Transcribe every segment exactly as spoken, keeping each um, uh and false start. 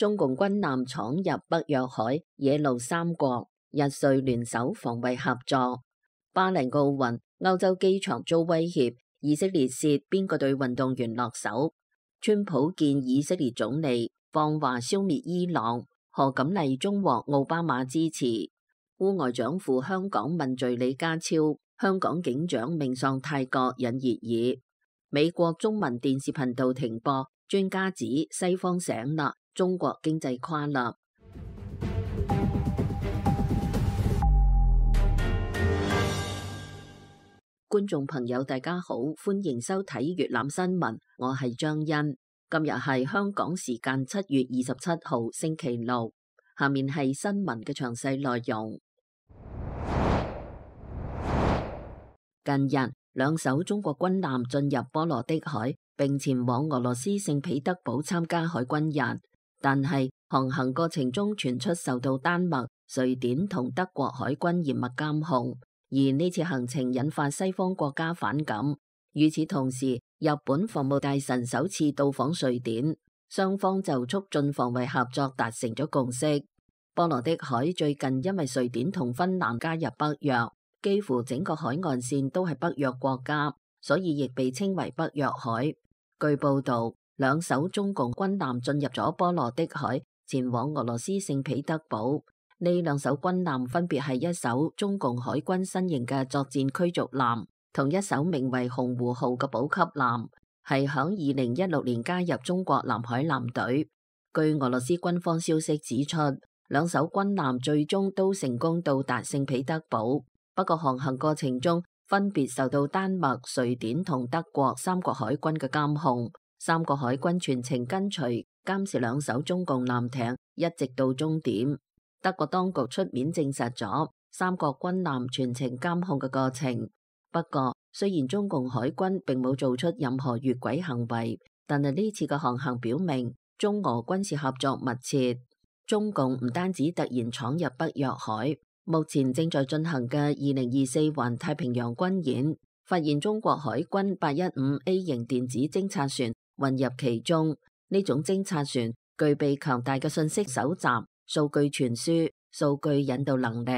中共軍艦闖入北約海，惹怒三國，日瑞聯手防衛合作。巴黎奧運，歐洲機場遭威脅，以色列涉邊個對運動員落手？川普見以色列總理放話消滅伊朗，賀錦麗中獲奧巴馬支持。烏外長赴香港問罪李家超，香港警長命喪泰國引熱議。美國中文電視頻道停播，專家指西方醒啦，中國經濟垮啦。觀眾朋友大家好，歡迎收睇粵覽新聞，我係張欣。今日係香港時間七月二十七號星期六，下面係新聞嘅詳細內容。近日，兩艘中國軍艦進入波羅的海，並前往俄羅斯聖彼得堡參加海軍日。但係航行過程中傳出受到丹麥、瑞典同德國海軍嚴密監控，而呢次行程引發西方國家反感。與此同時，日本防務大臣首次到訪瑞典，雙方就促進防衛合作達成咗共識。波羅的海最近因為瑞典同芬蘭加入北約，幾乎整個海岸線都係北約國家，所以亦被稱為北約海。據報道，兩艘中共軍艦進入咗波羅的海，前往俄羅斯聖彼得堡。呢兩艘軍艦分別係一艘中共海軍新型嘅作戰驅逐艦，同一艘名為洪湖號嘅補給艦，係響二零一六年加入中國南海艦隊。據俄羅斯軍方消息指出，兩艘軍艦最終都成功到達聖彼得堡，不過航行過程中分別受到丹麥、瑞典同德國三國海軍嘅監控。三國海軍全程跟隨監視兩艘中共艦艇，一直到終點。德國當局出面證實咗三國軍艦全程監控嘅過程。不過，雖然中共海軍並冇做出任何越軌行為，但係呢次嘅航行表明中俄軍事合作密切。中共唔單止突然闖入北約海，目前正在進行嘅二零二四環太平洋軍演，發現中國海軍八一五 A 型電子偵察船混入其中。呢種偵察船具備強大嘅信息搜集、數據傳輸、數據引導能力。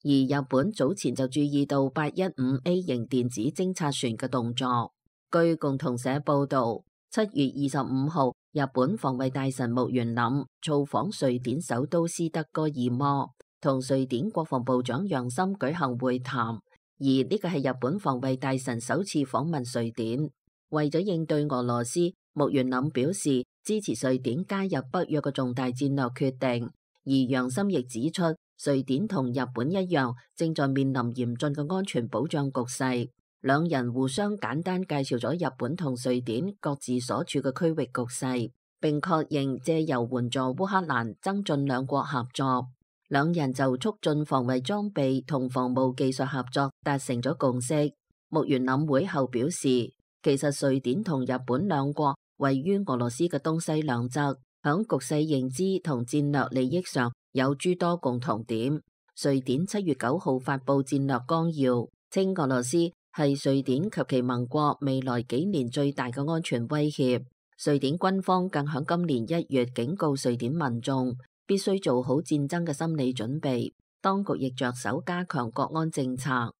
而日本早前就注意到八一五 A 型電子偵察船嘅動作。據共同社報道，七月二十五號，日本防衛大臣木原稔造訪瑞典首都斯德哥爾摩，同瑞典國防部長楊森舉行會談。而呢個係日本防衛大臣首次訪問瑞典。為咗應對俄羅斯，木原稔表示支持瑞典加入北約嘅重大戰略決定。而楊森亦指出，瑞典同日本一樣，正在面臨嚴峻嘅安全保障局勢。兩人互相簡單介紹咗日本同瑞典各自所處嘅區域局勢，並確認借由援助烏克蘭增進兩國合作。兩人就促進防衛裝備同防務技術合作達成咗共識。木原稔會後表示，其實瑞典同日本兩國位於俄羅斯嘅東西兩側，響局勢認知同戰略利益上有諸多共同點。瑞典七月九號發布戰略綱要，稱俄羅斯係瑞典及其盟國未來幾年最大嘅安全威脅。瑞典軍方更響今年一月警告瑞典民眾必須做好戰爭嘅心理準備。當局亦着手加強國安政策。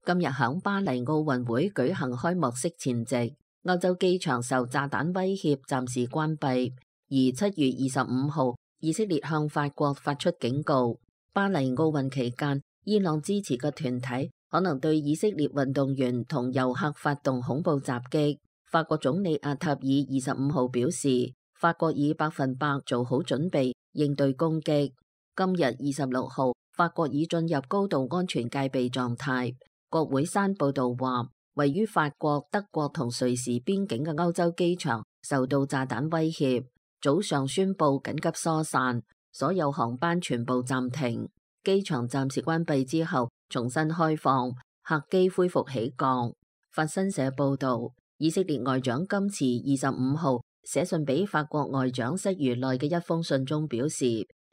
今日響巴黎奧運會舉行開幕式前夕，歐洲機場受炸彈威脅暫時關閉。而七月二十五號，以色列向法國發出警告，巴黎奧運期間，伊朗支持嘅團體可能對以色列運動員同遊客發動恐怖襲擊。法國總理阿塔爾二十五號表示，法國已百分百做好準備應對攻擊。今日二十六號，法國已進入高度安全戒備狀態。國會山報道話，位於法國、德國同瑞士邊境嘅歐洲機場受到炸彈威脅，早上宣布緊急疏散，所有航班全部暫停。機場暫時關閉之後重新開放，客機恢復起降。法新社報道，以色列外長甘茨二十五號寫信俾法國外長室儒內嘅一封信中表示，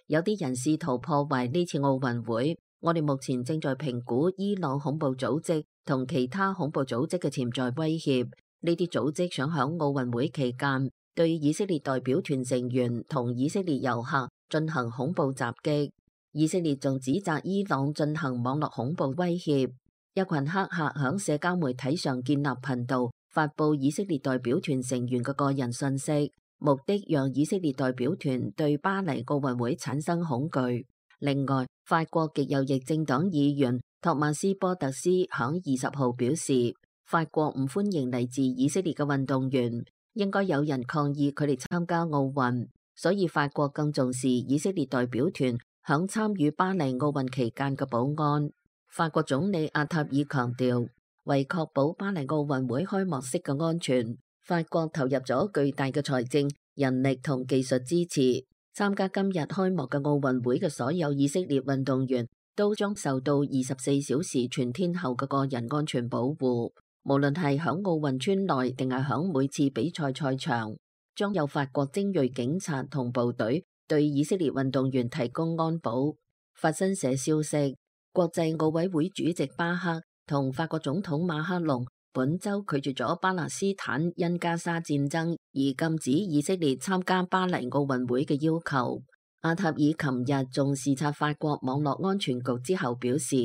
有啲人試圖破壞呢次奧運會。我哋目前正在評估伊朗恐怖組織同其他恐怖組織嘅潛在威脅，呢啲組織想響奧運會期間對以色列代表團成員同以色列遊客進行恐怖襲擊。以色列仲指責伊朗進行網絡恐怖威脅。一群黑客響社交媒體上建立頻道，發佈以色列代表團成員嘅個人信息，目的讓以色列代表團對巴黎奧運會產生恐懼。另外，法國極右翼政黨議員托馬斯波特斯響二十號表示，法國唔歡迎嚟自以色列嘅運動員，應該有人抗議佢哋參加奧運，所以法國更重視以色列代表團響參與巴黎奧運期間嘅保安。法國總理阿塔爾強調，為確保巴黎奧運會開幕式嘅安全，法國投入咗巨大嘅財政、人力同技術支持。參加今日開幕嘅奧運會嘅所有以色列運動員都將受到二十四小時全天候嘅個人安全保護，無論係響奧運村內定係響每次比賽賽場，將有法國精銳警察同部隊對以色列運動員提供安保。法新社消息，國際奧委會主席巴克同法國總統馬克龍本周拒絕咗巴勒斯坦因加沙戰爭而禁止以色列參加巴黎奧運會嘅要求。阿塔爾琴日仲視察法國網絡安全局之後表示，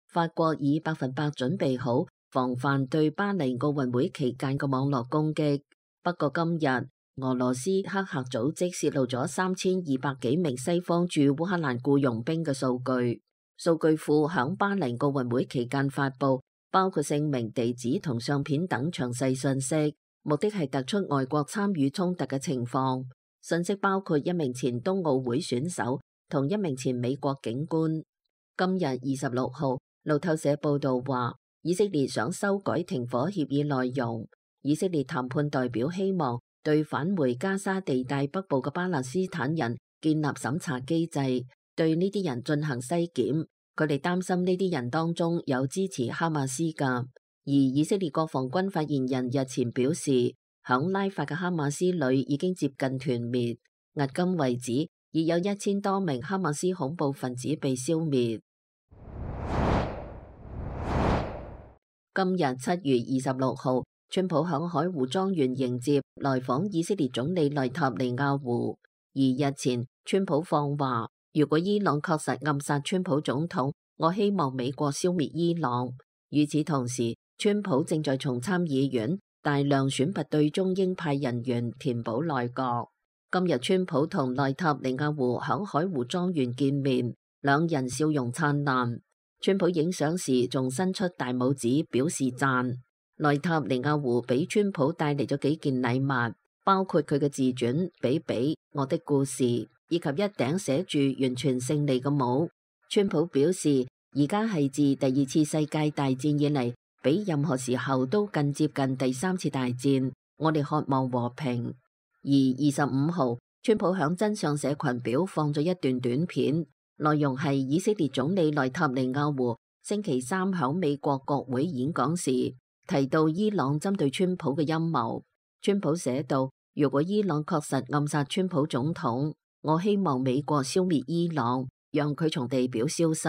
法國已百分百準備好防範對巴黎奧運會期間嘅網絡攻擊。不過今日，俄羅斯黑客組織洩露咗三千二百幾名西方駐烏克蘭僱傭兵嘅數據，數據庫響巴黎奧運會期間發布，包括姓名、地址同相片等詳細信息，目的係突出外國參與衝突嘅情況。信息包括一名前冬奧會選手同一名前美國警官。今日二十六號，路透社報道話，以色列想修改停火協議內容。以色列談判代表希望對返回加沙地帶北部嘅巴勒斯坦人建立審查機制，對呢啲人進行篩檢。佢哋擔心呢啲人當中有支持哈馬斯㗎。而以色列國防軍發言人日前表示，響拉法嘅哈馬斯旅已經接近團滅，迄今為止已有一千多名哈馬斯恐怖分子被消滅。今日七月二十六號，川普響海湖莊園迎接來訪以色列總理內塔尼亞胡。而日前，川普放話，如果伊朗確實暗殺川普總統，我希望美國消滅伊朗。與此同時，川普正在從參議院大量選拔對中鷹派人員填補內閣。今日川普同內塔尼亞胡響海湖莊園見面，兩人笑容燦爛。川普影相時仲伸出大拇指表示讚。內塔尼亞胡俾川普帶嚟咗幾件禮物，包括佢嘅自傳《比比我的故事》，以及一頂寫住完全勝利嘅帽。川普表示，而家係自第二次世界大戰以嚟，比任何時候都更接近第三次大戰。我哋渴望和平。而二十五號，川普響真相社群表放咗一段短片，內容係以色列總理內塔尼亞胡星期三響美國國會演講時提到伊朗針對川普嘅陰謀。川普寫道，如果伊朗確實暗殺川普總統，我希望美國消滅伊朗，讓佢從地表消失。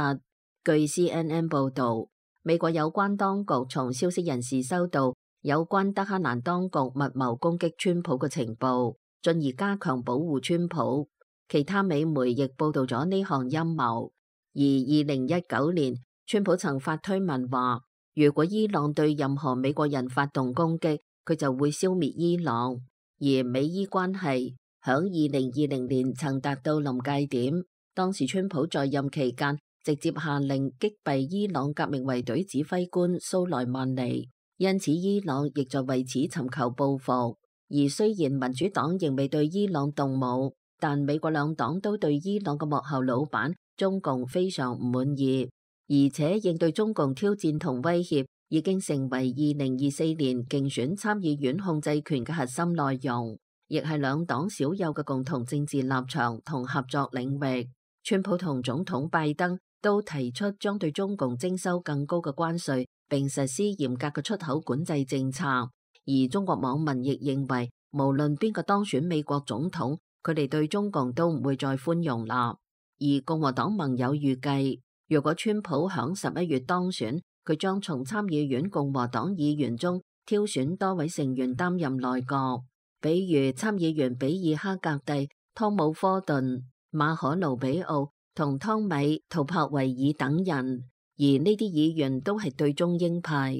據 C N N 報道，美國有關當局從消息人士收到有關德黑蘭當局密謀攻擊川普嘅情報，進而加強保護川普。其他美媒亦報道咗呢項陰謀。而二零一九年，川普曾發推文話，如果伊朗對任何美國人發動攻擊，佢就會消滅伊朗。而美伊關係響二零二零年曾達到臨界點，當時川普在任期間直接下令擊斃伊朗革命衛隊指揮官蘇萊曼尼，因此伊朗亦在為此尋求報復。而雖然民主黨仍未對伊朗動武，但美國兩黨都對伊朗嘅幕後老闆中共非常唔滿意，而且應對中共挑戰同威脅已經成為二零二四年競選參議院控制權嘅核心內容，亦係兩黨少有嘅共同政治立場同合作領域。川普同總統拜登都提出將對中共徵收更高嘅關稅，並實施嚴格嘅出口管制政策。而中國網民亦認為，無論邊個當選美國總統，佢哋對中共都唔會再寬容啦。而共和黨盟友預計，如果川普響十一月當選，佢將從參議院共和黨議員中挑選多位成員擔任內閣，比如參議員比爾·哈格蒂、湯姆·科頓、馬可·盧比奧同湯米·圖柏維爾等人，而呢啲議員都係對中鷹派。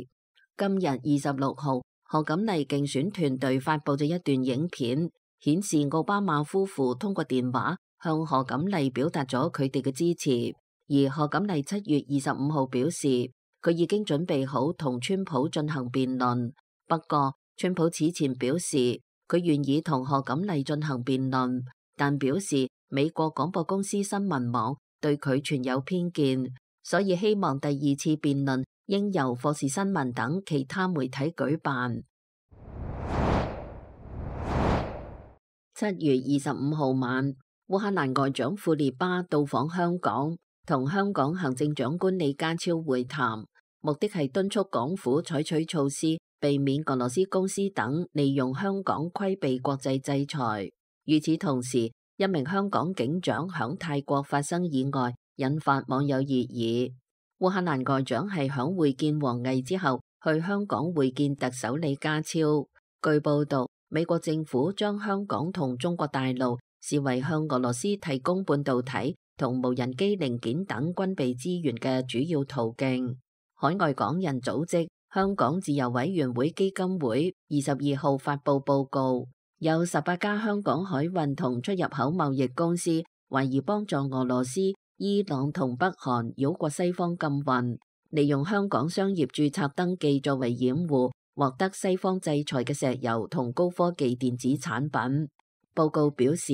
今日二十六號，賀錦麗競選團隊發佈咗一段影片，顯示奧巴馬夫婦通過電話向賀錦麗表達咗佢哋嘅支持。而賀錦麗七月二十五號表示，佢已經準備好同川普進行辯論。不過，川普此前表示佢願意同賀錦麗進行辯論，但表示美國廣播公司新聞網對佢存有偏見，所以希望第二次辯論應由霍士新聞等其他媒體舉辦。七月二十五號晚，烏克蘭外長庫列巴到訪香港，同香港行政長官李家超會談，目的係敦促港府採取措施，避免俄羅斯公司等利用香港規避國際制裁。與此同時，一名香港警長響泰國發生意外，引發網友熱議。烏克蘭外長係響會見王毅之後，去香港會見特首李家超。據報道，美國政府將香港同中國大陸視為向俄羅斯提供半導體同無人機零件等軍備資源嘅主要途徑。海外港人組織香港自由委員會基金會二十二號發布報告，有十八家香港海運同出入口貿易公司懷疑幫助俄羅斯、伊朗同北韓繞過西方禁運，利用香港商業註冊登記作為掩護，獲得西方制裁嘅石油同高科技電子產品。報告表示，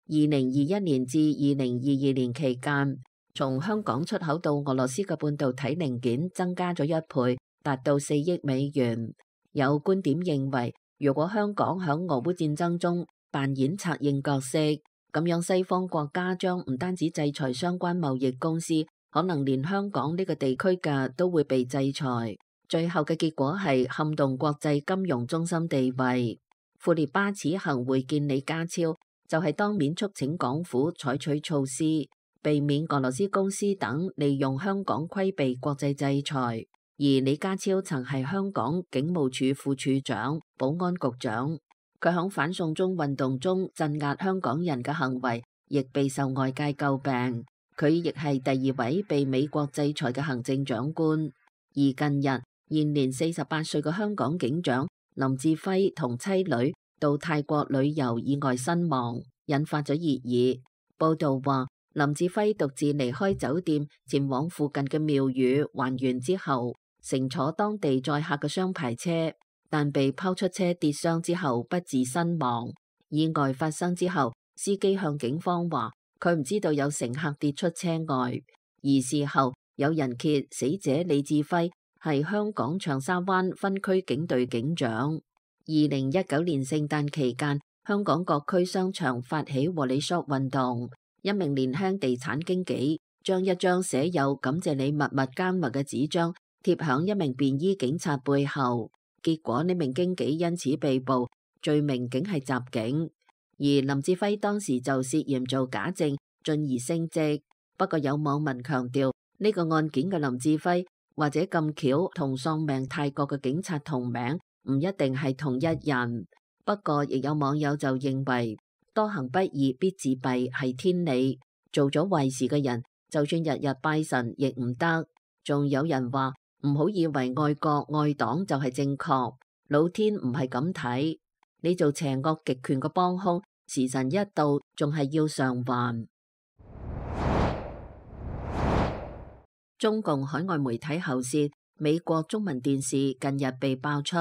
二零二一年至二零二二年期間，從香港出口到俄羅斯嘅半導體零件增加咗一倍，達到四億美元。有觀點認為，如果香港響俄烏戰爭中扮演策應角色，咁樣西方國家將唔單止制裁相關貿易公司，可能連香港呢個地區嘅都會被制裁。最後嘅結果係撼動國際金融中心地位。庫列巴此行會見李家超，就係當面促請港府採取措施，避免俄羅斯公司等利用香港規避國際制裁。而李家超曾係香港警務處副處長、保安局長。佢響反送中運動中鎮壓香港人嘅行為，亦備受外界詬病。佢亦係第二位被美國制裁嘅行政長官。而近日，現年四十八歲嘅香港警長林志輝同妻女到泰國旅遊意外身亡，引發咗熱議。報道話，林志輝獨自離開酒店，前往附近嘅廟宇還願之後，乘坐當地載客嘅雙牌車，但被拋出車跌傷之後不治身亡。意外發生之後，司機向警方話佢唔知道有乘客跌出車外，而事後有人揭死者李志輝係香港長沙灣分區警隊警長。二零一九年聖誕期間，香港各區商場發起和你 shop 運動，一名年輕地產經紀將一張寫有感謝你默默耕耘嘅紙張貼響一名便衣警察背後，結果呢名經紀因此被捕，罪名竟係襲警。而林志輝當時就涉嫌做假證，進而升職。不過有網民強調，呢個案件嘅林志輝或者咁巧同喪命泰國嘅警察同名，唔一定係同一人。不過亦有網友就認為，多行不義必自斃係天理，做咗壞事嘅人就算日日拜神亦唔得。仲有人話唔好以為愛國愛黨就係正確，老天唔係咁睇，你做邪惡極權嘅幫兇，時辰一到仲係要償還。中共海外媒體喉舌美國中文電視近日被爆出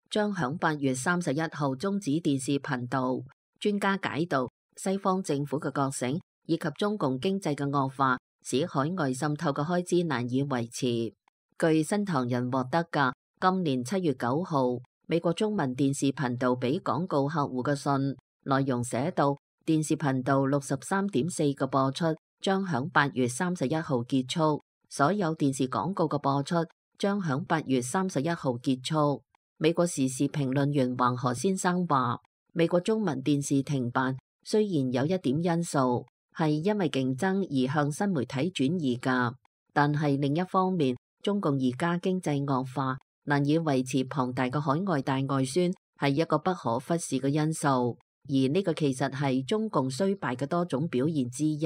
將響八月三十一號終止電視頻道。專家解讀西方政府嘅覺醒以及中共經濟嘅惡化，使海外滲透嘅開支難以維持。據新唐人獲得嘅今年七月九號美國中文電視頻道俾廣告客戶嘅信，內容寫到電視頻道六十三點四嘅播出將響八月三十一號結束，所有電視廣告嘅播出將響八月三十一號結束。美國時事評論員黃河先生話，美國中文電視停辦雖然有一點因素係因為競爭而向新媒體轉移㗎，但係另一方面，中共而家經濟惡化，難以維持龐大嘅海外大外宣係一個不可忽視嘅因素，而呢個其實係中共衰敗嘅多種表現之一。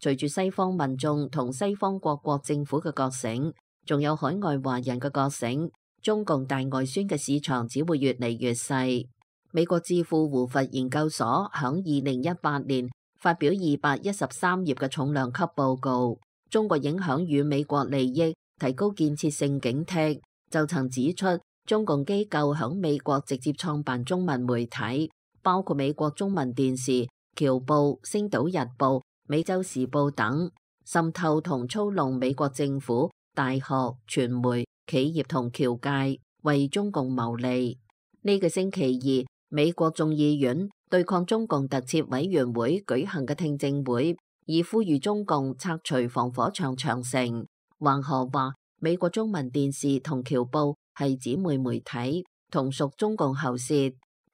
隨住西方民眾同西方各國政府嘅覺醒，仲有海外華人嘅覺醒，中共大外宣嘅市場只會越嚟越細。美國智庫胡佛研究所響二零一八年發表二百一十三頁嘅重量級報告，中國影響與美國利益，提高建設性警惕，就曾指出中共機構響美國直接創辦中文媒體，包括美國中文電視、僑報、星島日報、美洲時報等，滲透同操弄美國政府、大學、傳媒、企業同僑界，為中共謀利。呢個星期二，美國眾議院對抗中共特設委員會舉行嘅聽證會，以呼籲中共拆除防火牆長城。橫河話，美國中文電視同僑報係姊妹媒體，同屬中共喉舌，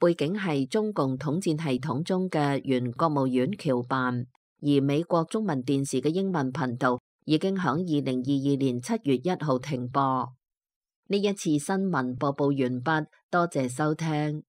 背景係中共統戰系統中嘅原國務院僑辦。而美國中文電視嘅英文頻道已經響二零二二年七月一號停播。呢一次新聞播報完畢，多謝收聽。